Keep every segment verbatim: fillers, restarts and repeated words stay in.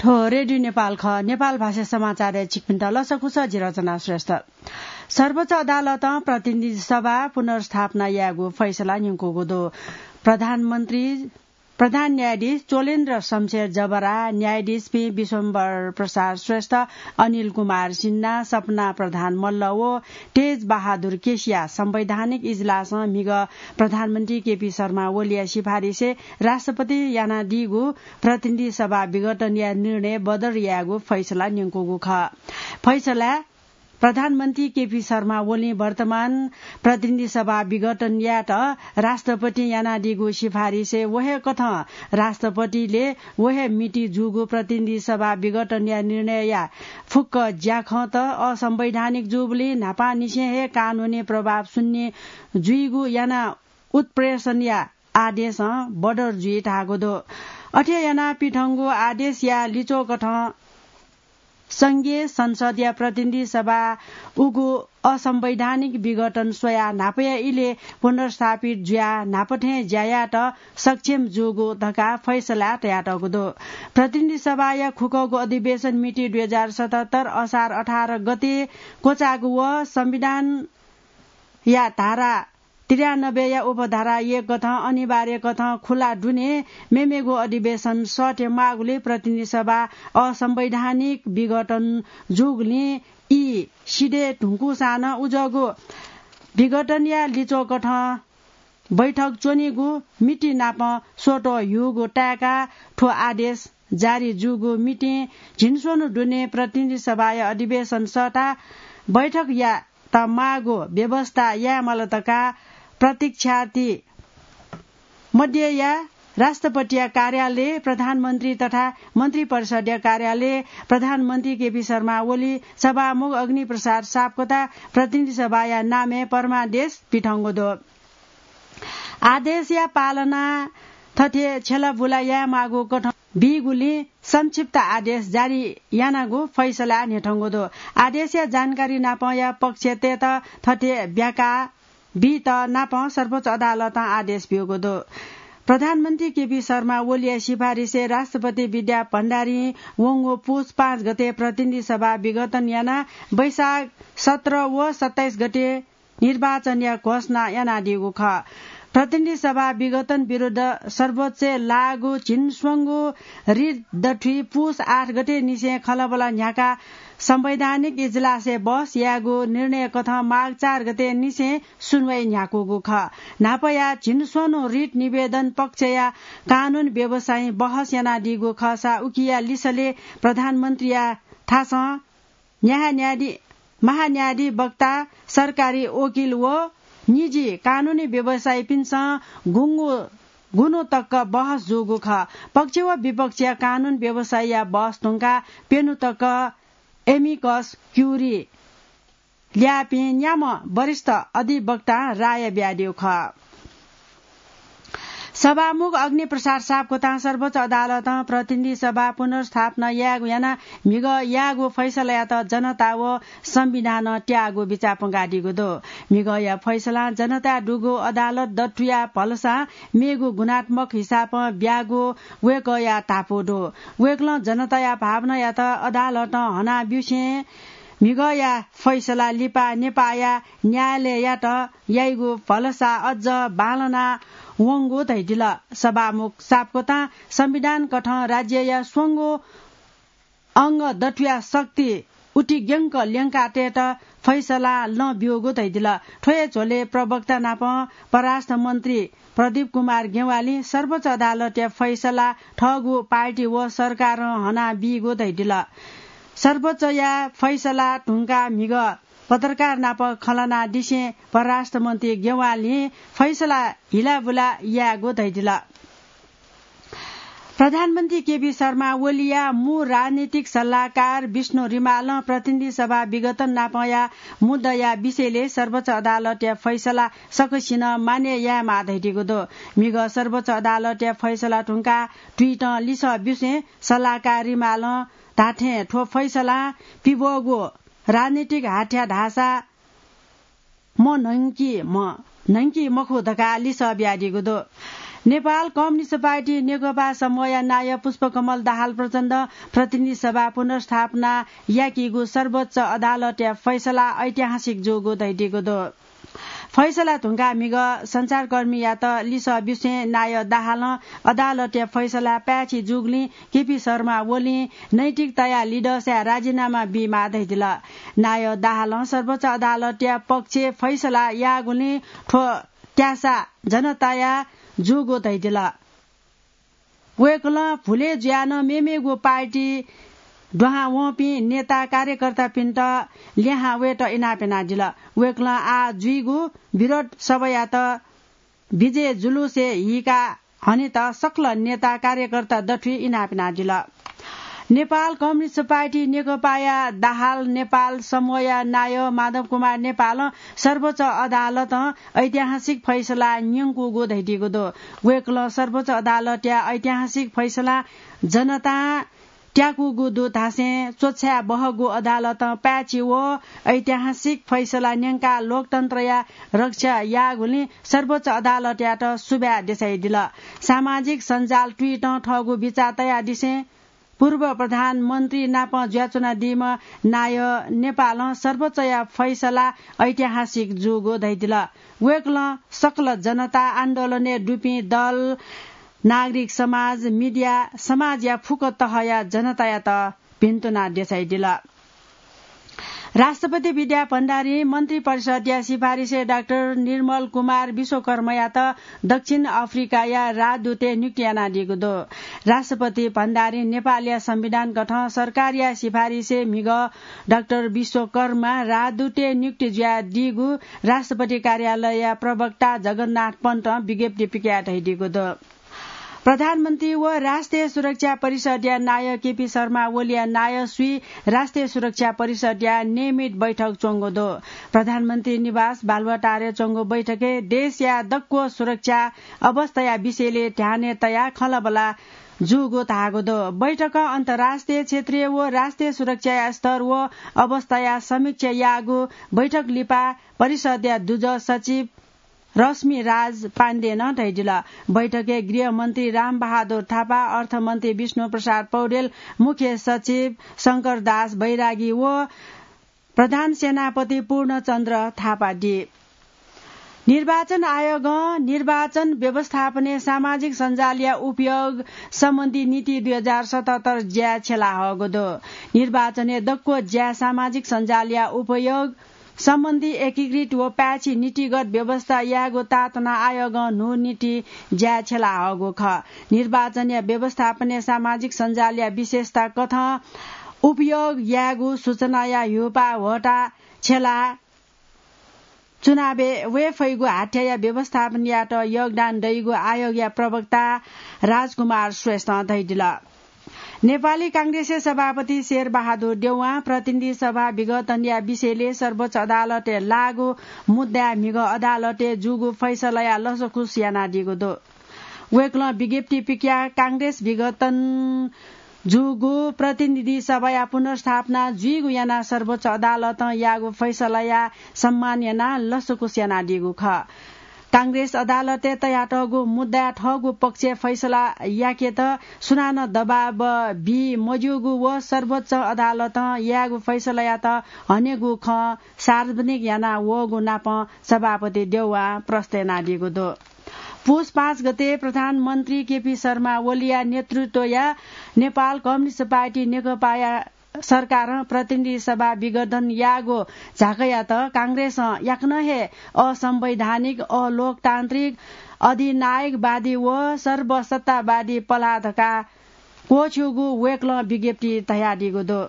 थ्व रेडियो नेपाल खः। नेपाल भाषा समाचारय् छिकपिन्त लसकुस, जि रचना श्रेष्ठ। सर्वोच्च अदालतं प्रतिनिधि सभा पुनर्स्थापना यायेगु फैसला न्यंकूगु दु। प्रधानमन्त्री, प्रधान न्यायाधीश चोलेन्द्र शमशेर जबरा, न्यायाधीशपिं विश्वम्भर प्रसाद श्रेष्ठ, अनिल कुमार सिन्हा, सपना प्रधान मल्ल व तेज बहादुर केसीया संवैधानिक इजलासं म्हिगः प्रधानमन्त्री केपी शर्मा ओलीया सिफारिसय् राष्ट्रपतिं यानादीगु प्रतिनिधि सभा विघटनया निर्णय बदर यायेगु फैसला न्यंकूगु खः। फैसलाय् प्रधानमन्त्री केपी शर्मा ओलीं वर्तमान प्रतिनिधि सभा विघटन यायेत राष्ट्रपतिं यानादीगु सिफारिसय् व हे कथं राष्ट्रपतिले व हे मिति जूगु प्रतिनिधि सभा विघटनया निर्णयया फुक्क ज्याखँत असंवैधानिक जूबलय् न्हापांनिसें हे कानूनी प्रभाव शून्य जुइगु याना उत्प्रेषणया आदेशं बदर जुइ धाःगु दु। अथे यानाः पिथंगु आदेशया लिच्वःकथं संघीय संसदया प्रतिनिधि सभा उगु असंवैधानिक विघटन स्वयाः न्हापाया इलय् पुनर्स्थापित जुयाः न्हापा थें ज्या यायेत सक्षम जूगु धकाः फैसलाय् तयातःगु दु। प्रतिनिधि सभाया खुकःगु अधिवेशन मिति दुई हजार सतहत्तर असार अठार गते क्वचाःगु व संविधानया धारा त्रियानब्बेया उपधारा एक कथं अनिवार्य कथं खुला दुने मेमेगु अधिवेशन सःते माःगुलिं प्रतिनिधि सभा असंवैधानिक विघटन जूगुलिं ई सिधये धुंकूसां नं उजःगु विघटनया लिच्वःकथं बैठक च्वनीगु मिति नाप स्वतः ह्यूगु ताय्काः थ्व आदेश जारी जूगु मितिं झिंस्वन्हु दुने प्रतिनिधि सभाया अधिवेशन सःताः बैठक यायेत माःगु व्यवस्था यायेमाल धकाः प्रतीक्षार्थी मध्येया राष्ट्रपतिया कार्यालय, प्रधानमन्त्री तथा मन्त्रिपरिषद्या कार्यालय, प्रधानमन्त्री केपी शर्मा ओली, सभामुख अग्निप्रसाद सापकोटा, प्रतिनिधि सभाया नामय् परमादेश पिथंगु दु। आदेशया पालना थथे छ्यलाबुला यायेमाःगु कथं बीगुलिं संक्षिप्त आदेश जारी यानागु फैसला न्ह्यथंगु दु। आदेशया जानकारी नापंया पक्षतय्त थथे ब्याका बीत नापं सर्वोच्च अदालतं आदेश ब्यूगु दु। प्रधानमन्त्री केपी शर्मा ओलीया सिफारिसय् राष्ट्रपति विद्या भण्डारीं वंगु पुस पाँच गते प्रतिनिधि सभा विघटन यानाः वैशाख सत्र व सत्ताइस गते निर्वाचनया घोषणा यानादीगु खः। प्रतिनिधि सभा विघटन विरुद्ध सर्वोच्चय् लाःगु झिंस्वंगु रिट दथुइ पुस आठ गते निसें खँल्हाबल्हा न्ह्याकाः संवैधानिक इजलासय् बहस यायेगु निर्णय कथं माघ चार गते निसें सुनुवाइ न्ह्याकूगु खः। न्हापाया झिंस्वन्हु रिट निवेदन पक्षया कानून व्यवसायीं बहस यानादीगु खःसा उकिया लिसलय् प्रधानमन्त्रीया थासं न्यायाधि-, महान्यायाधिवक्ता, सरकारी वकिल व निजी कानूनी व्यवसायीपिन्सं गुंगु गुन्हु तक बहस जूगु खः। पक्ष व विपक्षया कानून व्यवसायीया बहस धुंकाः प्यन्हु तक amicus curiae ल्याःपिं न्याम्ह वरिष्ठ अधिवक्तां राय बियादीगु खः। सभामुख अग्निप्रसाद सापकोटां सर्वोच्च अदालतं प्रतिनिधि सभा पुनर्स्थापना यायेगु यानाः म्हिगः याःगु फैसलायात जनता व संविधानं त्याःगु बिचाः प्वंकादीगु दु। म्हिगःया फैसलां जनताया दुगु अदालत दथुया भलसां मेगु गुणात्मक हिसाबं ब्याःगु वय्कःया धापू दु। वय्कलं जनताया भावनायात अदालतं हनाब्यूसें म्हिगःया फैसला लिपा नेपाःया न्यायालययात याइगु भलसा अझ बांलाना वंगु धयादिल। सभामुख सापकोटां संविधान कथं राज्यया स्वंगू अंग दथुया शक्ति उतिग्यंक ल्यंकातयेत फैसला लँ ब्यूगु धयादिल। थ्व हे झ्वलय् प्रवक्ता नाप परराष्ट्र मन्त्री प्रदीप कुमार ज्ञवालीं सर्वोच्च अदालतया फैसला थःगु पार्टी व सरकारं हनाबीगु धयादिल। सर्वोच्चया फैसला धुंकाः म्हिगः पत्रकार नाप खँ ल्हानादिसें परराष्ट्र मन्त्री ज्ञवालीं फैसला हिलाबुला यायेगु धयादिल। प्रधानमन्त्री केपी शर्मा ओलीया मू राजनीतिक सल्लाहकार विष्णु रिमालं प्रतिनिधि सभा विघटन नापंया मुद्दाया विषयलय् सर्वोच्च अदालतया फैसला सकसिनं मान्य यायेमाः धयादीगु दु। म्हिगः सर्वोच्च अदालतया फैसला धुंकाः ट्विटं लिसः ब्यूसें सल्लाहकार रिमालं धाःथें थ्व फैसलां पिब्वःगु राजनीतिक हाथ्या धाःसा म न्हंकी म न्हंकी मखु धकाः लिसः बियादीगु दु। नेपाल कम्युनिस्ट पार्टी नेकपा समूहया नायः पुष्पकमल दाहाल प्रचण्ड प्रतिनिधि सभा पुनर्स्थापना याकीगु सर्वोच्च अदालतया फैसला ऐतिहासिक जूगु धयादीगु दु। फैसला धुंकाः म्हिगः सञ्चारकर्मीयात लिसः बिसें नायः दाहालं अदालतया फैसला पाय्छि जूगुलिं केपी शर्मा ओलीं नैतिकताया लिधंसाय् राजीनामा बीमाः धयादिल। नायः दाहालं सर्वोच्च अदालतया पक्षय् फैसला याःगुलिं थ्व त्यासा जनताया जूगु धयादिल। वय्कलं भुले जुयाः नं मेमेगु पार्टी दुहां वंपिं नेता कार्यकर्तापिन्त ल्याहां वयेत इनाप यानादिल। वय्कलं आः जुइगु विरोध सभायात विजय जुलुसय् हीका हनेत सकल नेता कार्यकर्ता दथुइ इनाप यानादिल। नेपाल कम्युनिस्ट पार्टी नेकपाया दाहाल नेपाल समूहया नायः माधव कुमार नेपालं सर्वोच्च अदालतं ऐतिहासिक फैसला न्यंकूगु धयादीगु दु। वय्कलं सर्वोच्च अदालतया ऐतिहासिक फैसला जनतां त्याकूगु दु धासें च्वछाये बहःगु अदालतं पाय्छि व ऐतिहासिक फैसला न्यंकाः लोकतन्त्रया रक्षा याःगुलिं सर्वोच्च अदालतयात सुभाय् देछायादिल। सामाजिक सञ्जाल Twitter-ं थःगु बिचाः तयादिसें पूर्व प्रधानमन्त्री नाप जुयाच्वनादीम्ह नायः नेपालं सर्वोच्चया फैसला ऐतिहासिक जूगु धयादिल। वय्कलं सकल जनता, आन्दोलनय् दुपिं दल, नागरिक समाज, मिडिया, समाजया फुक्क तहया जनतायात भिन्तुना देछायादिल। राष्ट्रपति विद्या भण्डारीं मन्त्री परिषदया सिफारिसय् डाक्टर निर्मल कुमार विश्वकर्मायात दक्षिण अफ्रिकाया राजदूतय् नियुक्ति यानादीगु दु। राष्ट्रपति भण्डारीं नेपालया संविधान कथं सरकारया सिफारिसय् म्हिगः डाक्टर विश्वकर्मा राजदूतय् नियुक्ति जुयादीगु राष्ट्रपति कार्यालयया प्रवक्ता जगन्नाथ पन्तं विज्ञप्ति पिकयाः धयादीगु दु। प्रधानमन्त्री व राष्ट्रिय सुरक्षा परिषदया नायः केपी शर्मा ओलीया नायःसुइ राष्ट्रिय सुरक्षा परिषदया नियमित बैठक च्वंगु दु। प्रधानमन्त्री निवास बालुवाटारय् च्वंगु बैठकय् देशया दक्व सुरक्षा अवस्थाया विषयले ध्यानय् तयाः खँल्हाबल्हा जूगु धाःगु दु। बैठकं अन्तर्राष्ट्रिय, क्षेत्रीय व राष्ट्रिय सुरक्षाया स्तर व अवस्थाया समीक्षा याःगु बैठक लिपा परिषदया दुजः सचिव रश्मि राज पाण्डेनं धयादिल। बैठकय् गृहमन्त्री रामबहादुर थापा, अर्थमन्त्री विष्णु प्रसाद पौडेल, मुख्य सचिव शंकरदास बैरागी व प्रधान सेनापति पूर्णचन्द्र थापा दी। निर्वाचन आयोगं निर्वाचन व्यवस्थापनय् सामाजिक सञ्जालया उपयोग सम्बन्धी नीति दुई हजार सतहत्तर ज्याय् छ्यलाहःगु दु। निर्वाचनय् दक्व ज्याय् सामाजिक सञ्जालया उपयोग सम्बन्धी एकीकृत व पाय्छि नीतिगत व्यवस्था यायेगु ताःतना आयोगं न्हू नीति ज्याय् छ्यलाहःगु खः। निर्वाचनया व्यवस्थापनय् सामाजिक सञ्जालया विशेषता कथं उपयोग यायेगु सूचनाया ह्यूपाः ह्वःताः छ्यलाः चुनावय् वये फइगु हाथ्याया व्यवस्थापन यायेत योगदान दइगु आयोगया प्रवक्ता राजकुमार श्रेष्ठं धयादिल। नेपाली कांग्रेसया सभापति शेरबहादुर देउवां प्रतिनिधि सभा विघटनया विषयले सर्वोच्च अदालतय् लाःगु मुद्दाय् म्हिगः अदालतय् जूगु फैसलाया लसकुस यानादीगु दु। वय्कलं विज्ञप्ति पिकयाः कांग्रेस विघटन जूगु प्रतिनिधि सभाया पुनर्स्थापना जुइगु यानाः सर्वोच्च अदालतं याःगु फैसलाया सम्मान यानाः लसकुस यानादीगु खः। कांग्रेस अदालतय् तयातःगु मुद्दाय् थःगु पक्षय् फैसला याकेत सुनानं दबाब बी मज्यूगु व सर्वोच्च अदालतं याःगु फैसलायात हनेगु खँ सार्वजनिक याना वःगु नापं सभापति देउवां प्रश्न यानादीगु दु। पुस पाँच गते प्रधानमन्त्री केपी शर्मा ओलीया नेतृत्वया नेपाल कम्युनिस्ट पार्टी नेकपाया सरकारं प्रतिनिधि सभा विघटन याःगु झाँक्रीयात कांग्रेसं याकनं हे असंवैधानिक, अलोकतान्त्रिक, अधिनायकवादी व सर्वसत्तावादी पलाः धकाः क्वःछ्यूगु वय्कलं विज्ञप्ति धयादीगु दु।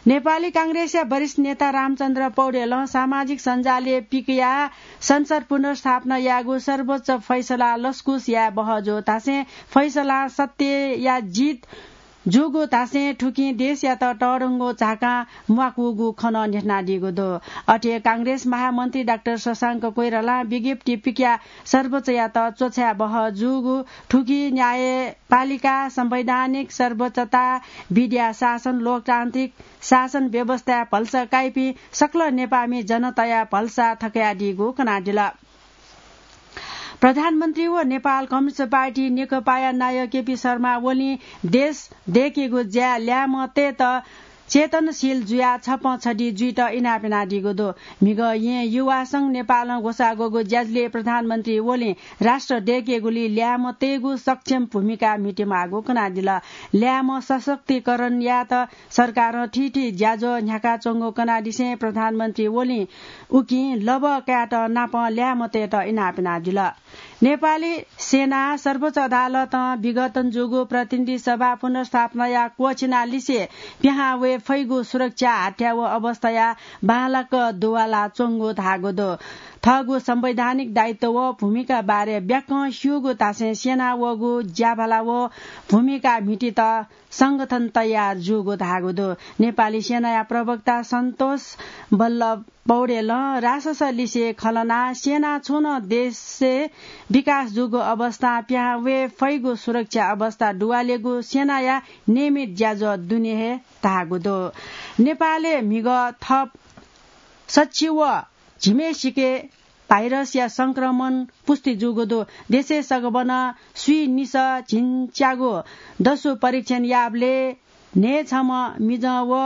नेपाली कांग्रेसया वरिष्ठ नेता रामचन्द्र पौडेलं सामाजिक सञ्जालय् पिकयाः संसद पुनर्स्थापना याःगु सर्वोच्च फैसला लसकुस याये बहःजू धासें फैसला सत्यया जित जूगु धासें थुकिं देशयात तःधंगु झाकां म्वाकूगु खँ नं न्ह्यथनादीगु दु। अथे कांग्रेस महामन्त्री डाक्टर शशांक कोइरालां विज्ञप्ति पिकयाः सर्वोच्चयात च्वछाये बहःजूगु थुकी न्यायपालिका, संवैधानिक सर्वोच्चता, विद्या शासन, लोकतान्त्रिक शासन व्यवस्थाय् भलसा काइपिं सकल नेपाःमि जनताया भलसा थकयादीगु कनादिल। प्रधानमन्त्री व नेपाल कम्युनिस्ट पार्टी नेकपाया नायः केपी शर्मा ओलीं देश दय्‌केगु ज्याय् ल्याय्‌म्ह तयेत चेतनशील जुयाः छप्पँ छधि जुइत इनाप यानादीगु दु। म्हिगः येँ युवा संघ नेपालं ग्वसाः ग्वःगु ज्याझ्वलय् प्रधानमन्त्री ओलीं राष्ट्र दय्‌केगुली ल्याय्‌म्ह तयेगु सक्षम भूमिका म्हितेमाःगु कनादिल। ल्याय्‌म्ह सशक्तिकरण यायेत सरकारं थीथी ज्याझ्वः न्ह्याकाच्वंगु कनादिसें प्रधानमन्त्री ओलीं उकिं लबः कायेत नापं ल्याय्‌म्ह तयेत इनाप यानादिल। नेपाली सेनां सर्वोच्च अदालतं विघटन जूगु प्रतिनिधि सभा पुनर्स्थापनाया क्वःछिना लिसे पिहां वये फइगु सुरक्षा हाथ्या व अवस्थाया बांलाक दुवाला च्वंगु धाःगु दु। थःगु संवैधानिक दायित्व व भूमिका बारे ब्याकं स्यूगु धासें सेनां वःगु ज्याभाला व भूमिका म्हितीत संगठन तयार जूगु धाःगु दु। नेपाली सेनाया प्रवक्ता सन्तोष बल्लभ पौडेलं रासस लिसे खलना सेना छुं नं देशय् विकास जूगु अवस्थां पिहां वये फइगु सुरक्षा अवस्था दुवालेगु सेनाया नियमित ज्याझ्वः दुने हे धाःगु दु। नेपालय् म्हिगः थप सच्छि व झिम्हेसिके भाइरसया संक्रमण पुष्टि जूगु दु। देशय् सकभनं स्वीनिसः झिंच्यागु दसु परीक्षण याःबलय् न्हय्‌छम्ह मिजं व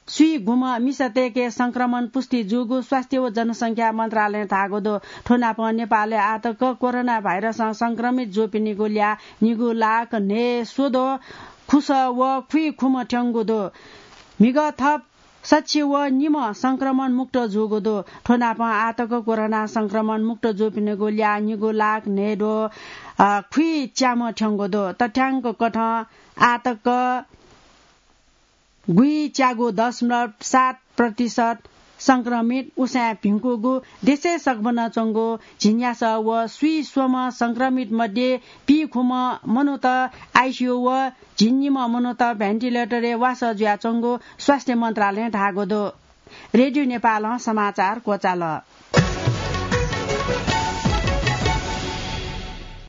स्वीगुम्ह मिसातय्‌के संक्रमण पुष्टि जूगु स्वास्थ्य व जनसंख्या मन्त्रालयं धाःगु दु। थ्व नापं नेपालय् आःतक कोरोना भाइरसं संक्रमित जूपिनिगु ल्याः निगू लाख न्हय् स्वद्वः खुसः व खुइखुम्ह थ्यंगु दु। म्हिगः थप सच्छि व निम्ह संक्रमण मुक्त जूगु दु। थ्व नापं आःतक कोरोना संक्रमण मुक्त जूपिनिगु ल्याः निगू लाख न्हय् द्वः, अ, खुइच्याम्ह थ्यंगु दु। तथ्याङ्क कथं आःतक गुइच्यागू दशमलव सात प्रतिशत संक्रमित उसाँय् भिंकूगु देशय् सकभनं च्वंगु झिंन्यासः व स्वीस्वम्ह संक्रमित मध्ये पीखुम्ह मनूत आइसियु व झिंनिम्ह मनूत भेन्टिलेटरय् वासः जुयाच्वंगु स्वास्थ्य मन्त्रालयं धाःगु दु। रेडियो नेपालं समाचार क्वचाल।